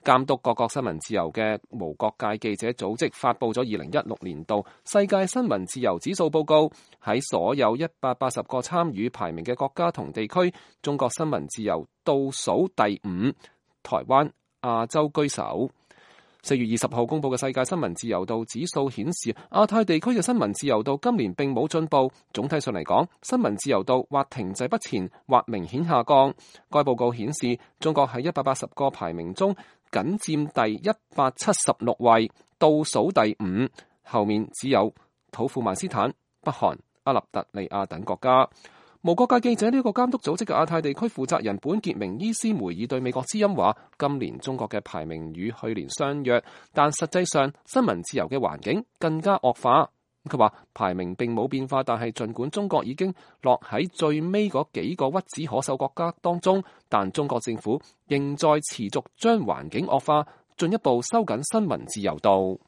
監督各國新聞自由嘅無國界記者組織發布咗2016年度世界新聞自由指數報告，喺所有180個參與排名嘅國家同地區，中國新聞自由倒數第5，台灣、亞洲居首。4月20號公佈嘅世界新聞自由度指數顯示，亞太地區嘅新聞自由度今年並冇進步。總體上嚟講，新聞自由度或停滯不前，或明顯下降。該報告顯示，中國喺180個排名中僅佔第176位，倒數第5，後面只有土庫曼斯坦、北韓、阿納特利亞等國家。無國界記者呢個監督組織嘅亞太地區負責人本傑明伊斯梅爾對美國之音話：今年中國嘅排名與去年相若，但實際上新聞自由嘅環境更加惡化。佢話排名並冇變化，但係儘管中國已經落喺最尾嗰幾個屈指可數國家當中，但中國政府仍在持續將環境惡化，進一步收緊新聞自由度。